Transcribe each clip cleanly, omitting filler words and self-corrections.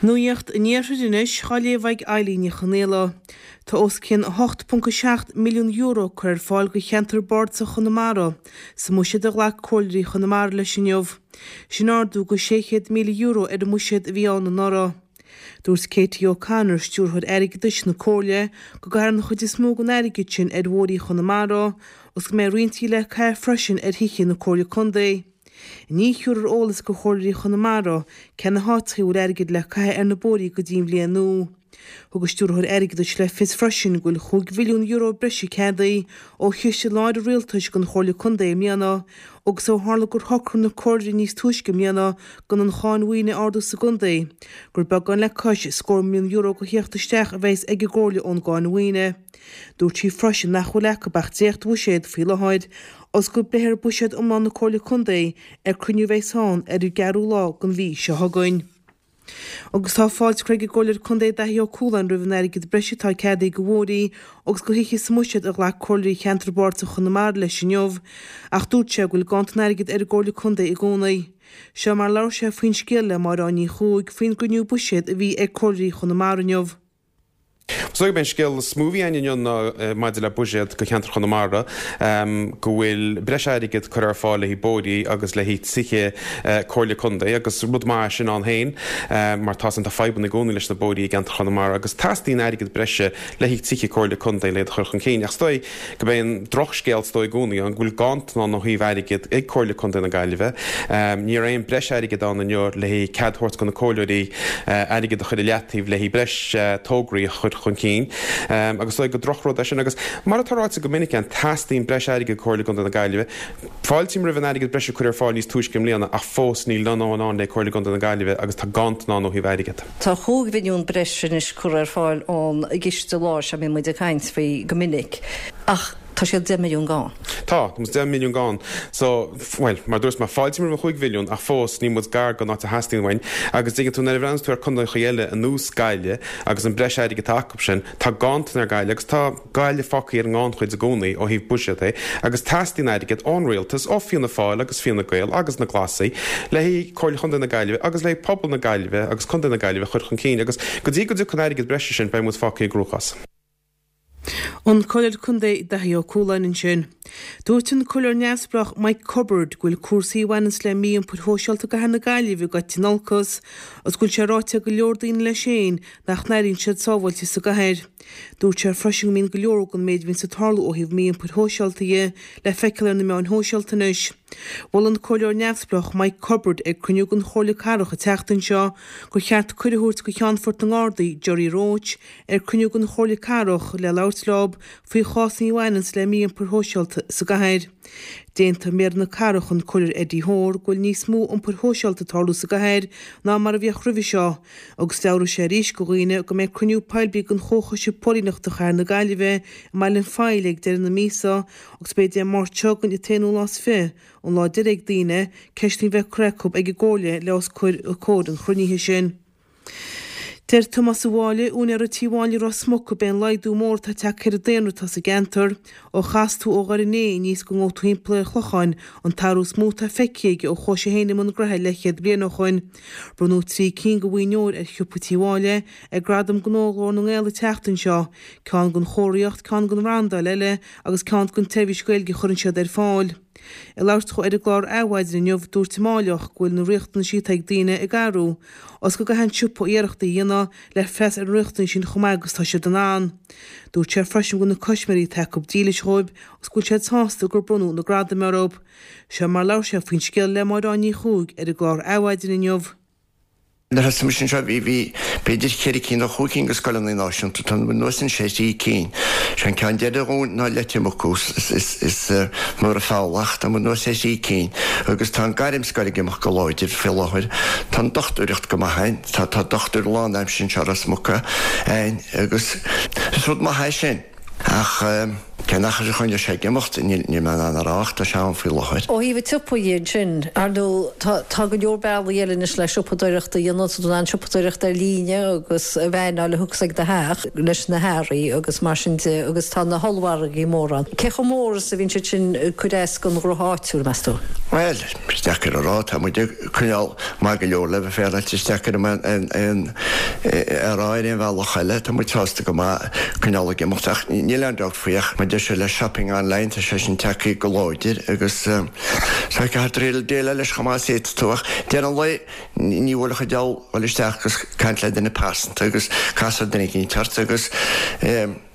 Nuacht an Iarthair anois á léamh ag Eilín Ní Chonaola. Tá os cionn €8.7 milliún curtha ar fáil do cheantar bardasach Chonamara sa mbuiséad a ghlac Comhairleoirí Chonamara leis inniu. Sin ardú de €600,000 ar an mbuiséad a bhí ann anuraidh. Dúirt Katie O'Connor, Stiúrthóir Airgeadais na Comhairle, go gcaithfear an chuid is mó den airgead sin ar bhóithrí Chonamara agus go mbeidh roinnt le caitheamh freisin ar thithe na Comhairle Contae. Ní thiúrfar eolas do Chomhairleoirí Chonamara cé na háiteacha a bhfuil airgead le caitheamh ar na bóithrí go dtí an bhliain nua. Thug an Stiúrthóir Airgeadais le fios freisin go bhfuil €5 mhilliún breise ceadaithe ó chiste láir an Rialtais don Chomhairle Contae i mbliana agus ó tharla gur shocraigh na Comhairleoirí níos túisce i mbliana gan an cháin mhaoine a ardú sa gcontae, gur beagán le cois scór milliún euro de theacht isteach a bheas ag an gComhairle ón gcáin mhaoine. Dúirt sí freisin nach bhfuil acu ach dréacht-bhuiséad faoi láthair agus go bpléifear buiséad iomlán na Comhairle Contae ar cruinniú a bheas ann ar an gceathrú lá den mhí seo chugainn. Agus tá fáilte curtha ag an gComhairleoir Contae Daithí Ó Cualáin roimh an airgead breise atá ceadaithe do bhóithrí agus do thithe sa mbuiséad a ghlac Comhairleoirí Cheantar Bardasach Chonamara leis inniu ach dúirt sé go bhfuil ganntan airgid ar an gComhairle Contae i gcónaí. Seo mar a labhair sé faoin scéal le Máire Áine Ní Chuaig faoin gcruinniú buiséad a bhí ag Comhairleoirí Chonamara inniu. Is dóigh gurb é an scéal is mó a bhí ann inniu ná maidir le buiséad do cheantar Chonamara, go bhfuil breis airgid curtha ar fáil le haghaidh bóithrí agus le haghaidh tithe Comhairle Contae agus rud maith é sin ann féin mar tá tá fadhbanna i gcónaí leis na bóithrí i gceantar Chonamara agus teastaíonn airgead breise le haghaidh tithe Comhairle Contae le iad a chur chun cinn. Ach is dóigh gurb é an drochscéal is dóigh i gcónaí ann go bhfuil ganntan ann ó thaobh airgid ag Comhairle Contae na Gaillimhe. Ní raibh aon breis airgid ann inniu le haghaidh cead a thabhairt do na comhairleoirí airgead a chur i leataobh le haghaidh breis tograí a chur chun cinn agus is dóigh gur drochrud é sin. Agus mar atá ráite go minic ann, teastaíonn breis airgid ag Comhairle Contae na Gaillimhe. Fáiltím roimh an airgead breise a cuireadh ar fáil níos túisce i mbliana ach fós níl a ndóthain ann le Comhairle Contae na Gaillimhe agus tá ganntan ann ó thaobh airgid. Tá 5 mhilliún breis anois curtha ar fáil ón gciste láir seo a mbíonn muid ag caint faoi go minic, ach tá siad 10 milliún gann. Tá, tá muid 10 milliún gann. So, bhuel, mar a dúirt mé, fáiltím roimh an 5 mhilliún ach fós níl muid gar don áit a theastaíonn uainn. Agus dtuigeann tú, nuair a bhreathnaíonn tú ar contaethacha eile ar nós Gaillimh agus an breis airgid atá acu sin, tá ganntan ar Gaillimh agus tá, Gaillimh fágtha ar an ngannchuid i gcónaí ó thaobh buiséad de agus teastaíonn airgead ón rialtas, ó Fianna Fáil agus Fine Gael agus na Glasaigh le haghaidh Comhairle Chontae na Gaillimhe agus le haghaidh pobal na Gaillimhe agus Contae na Gaillimhe a chur chun cinn agus go dtí go dtiocfaidh an airgead breise sin beidh muid fágtha i gcruachás. An Comhairleoir Contae Daithí Ó Cualáin ansin. Dúirt an Comhairleoir Neamhspleách Mike Cubbard go bhfuil cúrsaí a bhaineanns le mí-iompar shóisialta i gcathair na Gaillimhe ag goil in olcas agus go bhfuil sé ráite ag go leor daoine leis féin nach n-airíonn siad sábháilte sa gcathair. Dúirt sé freisin go mbíonn go leor den méid a bhíonns ag tarlú ó thaobh mí-iompair shóisialta dhe le feiceáil ar na meáin shóisialta anois. Mhol an Comhairleoir Neamhspleách Mike Cubbard ag cruinniú den Chomhairle Cathrach an tseachtain seo gur cheart cuireadh a thabhairt do Cheannfort na nGardaí, Gerry Roche, ar cruinniú den Chomhairle Cathrach le labhairt leo faoi chásanna a bhaineanns le mí-iompar shóisialta sa gcathair. D'aontaigh Méara na Cathrach, an Comhairleoir Eddie Hoare, go bhfuil níos mó iompair shóisialta ag tarlú sa gcathair ná mar a bhíodh roimhe seo Agus mheabhraigh sé arís go dhaoine go mbeidh cruinniú poiblí den Chomhchoiste Póilíneachta Chathair na Gaillimhe i mBaile an Phoill ag deireadh na míosa agus beidh Dé Máirt seo chugainn an t-aonú lá is fi an lá deiridh ag daoine ceisteanna a bheith curtha acu ag an gComhairle le os comhair an chruinnithe sin. Deir Tomás Ó Mháille, úinéara Tí Mháille Ros Muc, gurb é an laghdú mór atá tagtha ar an daonra atá sa gceantar Ó chas tú ó Dhoire an Fhéich aníos go ngabhfaidh tú thimpeall ar an Chlocháin, an t-athrú is mó atá feicthe aige ó chuaigh sé féin i mbun gnoithe leathchéad bliain ó shoin. Bronnadh 3 cinn de bhoinn óir ar shiopa Tí Mháille ag Gradaim Gnó Ghlór na nGael an tseachtain seo, ceann don chomharthaíocht, ceann don bhrandáil eile agus ceann don tseirbhís Ghaeilge a chuireann siad ar fáil. Ag labhairt dhó ar an gclár Adhmhaidin inniu, dúirt an Máilleach go bhfuil na riachtanaisí atá ag daoine ag athrú, agus go gcaithfidh an siopa iarrachtaí a dhéanamh le freastal ar na riachtanais sin chomh maith agus tá siad in ann. Dúirt sé freisin go bhfuil na custaiméirí atá acu dílis dhóibh agus go bhfuil siad sásta gur bronnadh na gradaim orthu. Seo mar a labhair sé faoin scéal le Máire Áine Ní Chuaig ar an gclár Adhmhaidin inniu. Nuair a thosaigh mise anseo bhí, bhí b'fhéidir cheithre cinn nó chúig cinn de scoileanna náisiúnta, tá muid anuas anois ar thrí cinn. Sé an ceann deiridh a dhún ná Leitir Muc is, is, is Muire Fabhlach, tá muid anuas ar thrí cinn agus tá an gairmscoil ag imeacht go láidir faoi láthair, tá an dochtúireacht go maith ann, tá, tá dochtúir lánaimseartha anseo i Ros Muc ann agus is rud maith é sin. Ach cén achar a choinneoidh sé ag imeacht, níl mé in ann a rá ach tá sé ann faoi láthair. Ó thaobh an tsiopa dhe ansin, ar ndóigh, tá go leor bealaí eile anois le siopadóireacht a dhéanamh, tá tú in ann siopadóireacht ar líne agus a veaineáil a thiocfas ag do theach leis na hearraí agus mar sin de agus tá na hollmhargaí móra ann. Cé chomh mór is a bhíonn siad sin ag cur as don ghnótha áitiúil, meas tú? Bhuel, is deacair a rá, tá muid ag coinneáil maith go leor le bheith féaráilte, is deacair aon a rá ar aon bhealach eile. Tá muid sásta go maith coinneáil ag imeacht ach níl aon dabht faoi ach mar deir sé le shopping online tá sé sin tagtha go láidir agus so caithfear déileáil leis chomh maith is a fhéadfas tú ach deireadh an lae ní bhuailfeadh an diabhal dul isteach agus caint le duine pearsanta agus casadh ar duine éicint ort agus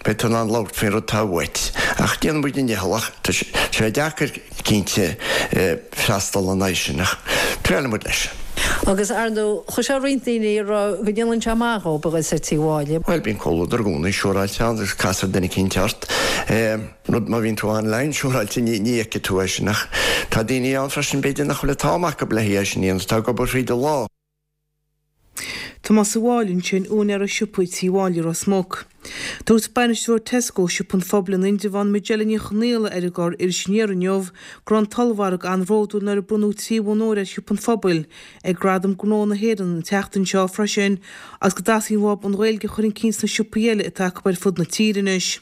Beidh tú in ann labhairt faoin rud atá uait. Ach déanann muid ár ndícheall ach tá sé deacair cinnte freastal ina aghaidh sin ach triaileann muid leis. Agus ar ndóigh, chloisfeá roinnt daoine ag rá go ndéanann sé maith dhóibh a dhul soir tí Mháille. Bhuel, bíonn comhluadar i gcónaí siúráilte ann agus castar duine eicínt ort. Rud má bhíonn tú online siúráilte ní fheicfidh tú é sin ach tá daoine ann freisin b'fhéidir nach bhfuil an t-am acu le haghaidh é sin a dhéanamh, atá ag obair fríd an lá. Tomás Ó Máille ansin, úinéara siopa Tí Mháille Ros Muc. Dúirt bainisteoir Tesco, Siopa an Phobail in Indreabhán, Majella Ní Chonaola ar an gclár Iris Aniar inniu go raibh an t-ollmhargadh an-bhródúil nuair a bronnadh 3 bhonn óir ar Shiopa an Phobail ag Gradaim Gnó na hÉireann an tseachtain seo freisin agus go dteastaíonn uathu an Ghaeilge a chur chun cinn sna siopaí eile atá acu ar fud na tíre anois.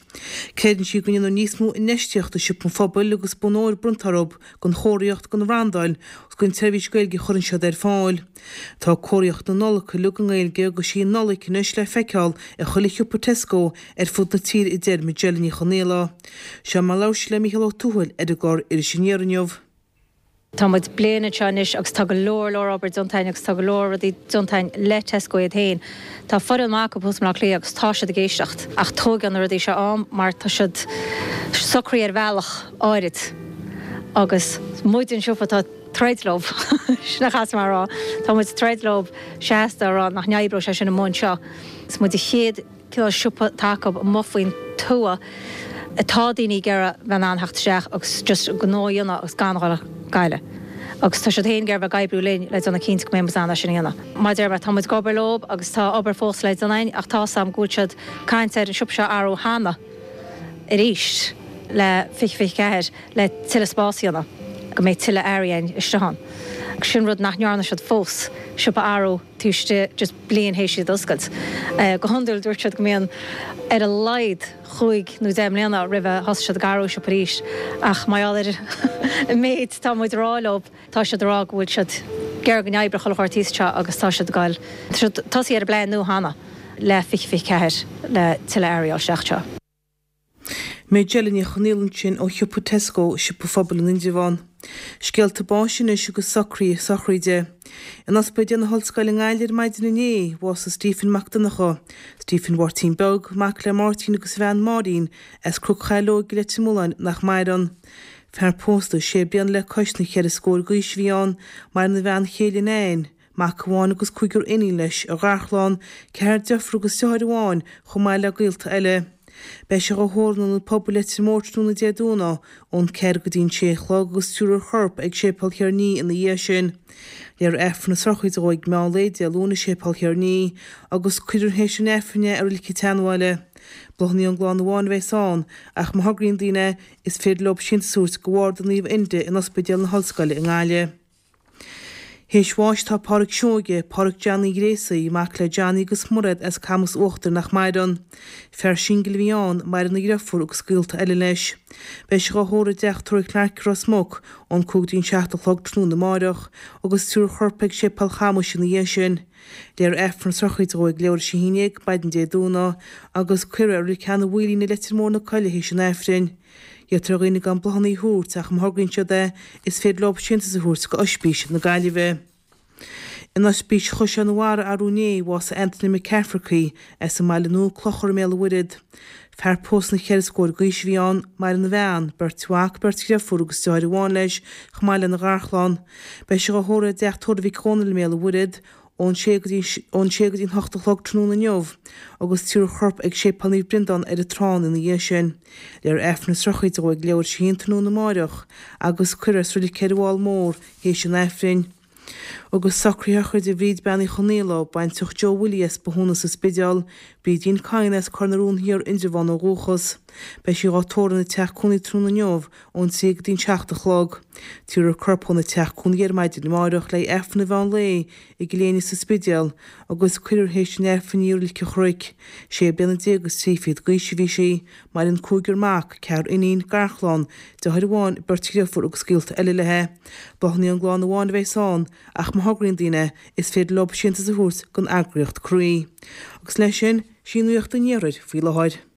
Creideann sí go ndéanadh níos mó infheistíochta i Siopa an Phobail agus bonn óir bronnta orthu don chomharthaíocht, don bhrandáil agus don tseirbhís Gaeilge a chuireann siad ar fáil. Tá comharthaíocht na Nollag uilig i nGaeilge agus sí an Nollaig anois le feiceáil i chuile shiopa Tesco ar fud na tíre a deir Majella Ní Chonaola. Seo mar a labhair sí le Mícheál Ó Tuathail ar an gclár Iris Aniar inniu. Tá muid bliain anseo anois agus tá go leor leor obair déanta againn agus tá go leor rudaí déanta againn le Tesco iad féin. Tá foireann maith acu thuas i mBleá Cliath agus tá siad ag éisteacht ach tóigeann na rudaí seo am mar tá siad socraithe ar bhealach áirid agus muid an siopa atá ag troid leo, sin a chaithfidh mé a rá, tá muid ag troid leo seasta a rá nach n-oibreoidh sé sin amuigh anseo. Is muid an chéad cineál siopa atá acu amuigh faoin tuath atá daoine ag iarraidh bheith in ann theacht isteach agus just gnó a dhéanamh agus gan a dhul go Gaillimh. Agus tá siad féin ag iarraidh bheith ag oibriú linn le déanamh cinnte go mbeidh muid in ann é sin a dhéanamh. Mar a deir mé, tá muid ag obair leo agus tá obair fós le déanamh againn ach tá's agam go bhfuil siad ag caint ar an siopa seo a athrú cheana arís le 2024 le tuilleadh spás a dhéanamh, go mbeidh tuilleadh earraí againn istigh ann. Sin rud nach ndearna siad fós, siopa a athrú taobh istigh just bliain théis iad a oscailt. Go hiondúil dúirt siad go mbíonn ar a laghad chúig nó deich mbliana roimh a thosaigh siad ag athrú siopa arís ach mar gheall ar an méid atá muid a rá leo, tá siad a rá go bhfuil siad ag iarraidh go n-oibreodh chuile shórt thíos anseo agus tá siad ag goil, tá siad tosaithe ar an bplean nua cheana le 2024 le tuilleadh earraí a fháil isteach anseo. Majella Ní Chonaola ansin ó shiopa Tesco, Siopa Phobail in Indreabhán. Scéalta báis anois agus socruithe sochraide. In Ospidéal na hOllscoile i nGaillimh ar maidin inné, bhásaigh Stephen Mac Donncha, Stephen Mháirtín Beag, mac le Máirtín agus a bhean Máirín, as Cnoc Chaileoig i Leitir Mealláin nach maireann. Fear pósta sé bliana le cois na cheithre scór d'aois a bhí ann, maireann a bhean chéile Nan, mac amháin agus cúigear iníon leis, a gharchlann, ceathrar deirfiúr agus deartháir amháin, chomh maith le gaolta eile. Beidh sé dhá thórramh in Ionad Pobail Leitir Móir tráthnóna Dé Domhnaigh ón 4 go dtí an 6 a chlog agus tabharfar a chorp ag Séipéal Thír an Fhia ina dhiaidh sin. Léifear Aifreann na sochraide dhó ag meán lae Dé Luain i Séipéal Thír an Fhia agus cuirfear théis an Aifrinn é i Reilig an tSeanbhaile. Bláthanna ón gclann amháin a bheas ann ach má thograíonn daoine é, is féidir leo síntiús a thabhairt go Bharda Naomh Enda in Ospidéal na hOllscoile i nGaillimh. Théis bháis tá Pádhraic Seoige, Pádhraic Johnny Ghréasaí, mac le Johnny agus Mairéad as Camas Uachtair nach maireann. Fear singil a bhí ann, maireann a dhriofúr agus gaolta eile leis. Beidh sé dhá thórramh i dteach tórraimh Clarke i Ros Muc ón 5 go dtí an 7 a chlog tráthnóna amáireach agus tabharfar a chorp ag Séipéal Chamuis ina dhiaidh sin. Léifear Aifreann na sochraide dhó ag leathuair tar éis a haon déag maidin Dé Domhnaigh agus cuirfear é i Reilig Sheanadh Mhaoilín i Leitir Móir na Coille théis an Aifrinn. Iarrtar ar dhaoine gan bláthanna a thabhairt ach má thograíonn siad é, is féidir leo síntiús a thabhairt go Oispís na Gaillimhe. In Oispís Chaisleán an Bharraigh arú inné, bhásaigh Anthony McCafferty as an mBaile Nua, Clochar i mBéal an Mhuirthead. Fear pósta ina cheithre scór d'aois a bhí ann, maireann a bhean, beirt mhac, beirt dhriofúr agus deartháir amháin leis, chomh maith lena gharchlann. Beidh sé dhá thórramh i dteach tórraimh Mhic Dhónaill i mBéal an Mhuirthead, ón sé go dtí ón sé go dtí an hocht a chlog tráthnóna inniu agus tabharfar a chorp ag Séipéal Naomh Breandán ar an Trán ina dhiaidh sin. Léifear Aifreann na sochraide dhó ag leathuair tar éis a haon tráthnóna amáireach agus cuirfear é sa reilig ar an bhFál Mór théis an Aifrinn. Agus socruithe sochraide Bhríd Bean Uí Chonaola, baintreach Joe Willie as Bothúna sa Spidéal, Brídín Coyne as Cor na Rón Thiar, Indreabhán ó dhúchas. Beidh sí dhá tórramh ina teach cónaí tráthnóna inniu ón 3 go dtí'n 7 a chlog. Tabharfar a corp óna teach cónaí ar maidin amáireach le Aifreann an mheán lae i gCill Éinne sa Spidéal agus cuirfear théis an Aifrinn í i Reilig an Chnoic. Sé bliana déag is 30 d'aois a bhí sí. Maireann cúigear mac, ceathrar iníon, garchlann, deartháir amháin, beirt dhriofúr agus gaolta eile léi. Bláthanna ón gclann amháin a bheas ann, ach má thograíonn daoine, is féidir leo síntiús a thabhairt don eagraíocht Croí. Agus leis sin, sí nuacht an iarthair faoi láthair.